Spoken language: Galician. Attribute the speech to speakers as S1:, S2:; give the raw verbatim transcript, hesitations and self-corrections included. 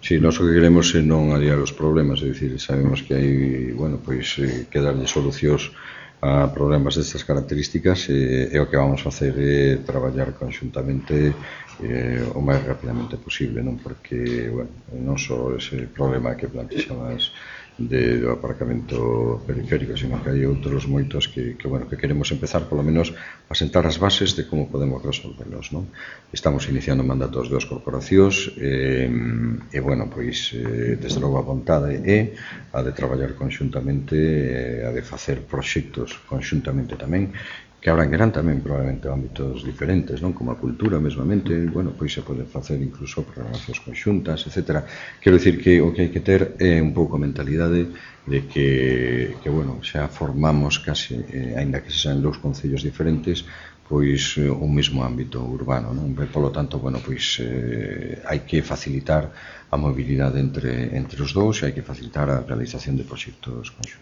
S1: Si, nós o que queremos é non aliar os problemas, é dicir, sabemos que hai, bueno, pois, eh, que darlle solucións a problemas destas características e, e o que vamos facer é traballar conxuntamente eh, o máis rapidamente posible, non? Porque, bueno, non só ese problema que plantexabas de, do aparcamento periférico, sino que hai outros moitos que, que, bueno, que queremos empezar polo menos a sentar as bases de como podemos resolverlos, non? Estamos iniciando mandatos das corporacións e, e bueno, pois, eh, desde logo a vontade é a de traballar conxuntamente, eh, a de facer proxectos conxuntamente tamén, que abranguerán tamén probablemente ámbitos diferentes, non? Como a cultura mesmamente, bueno, pois se pode facer incluso programacións conxuntas, etcétera. Quero dicir que o que hai que ter é un pouco a mentalidade de que, que bueno, xa formamos case, eh, aínda que se sean dous concellos diferentes, pois eh, un mesmo ámbito urbano, non? E, polo tanto, bueno, pois eh, hai que facilitar a mobilidade entre, entre os dous e hai que facilitar a realización de proxectos conxuntos.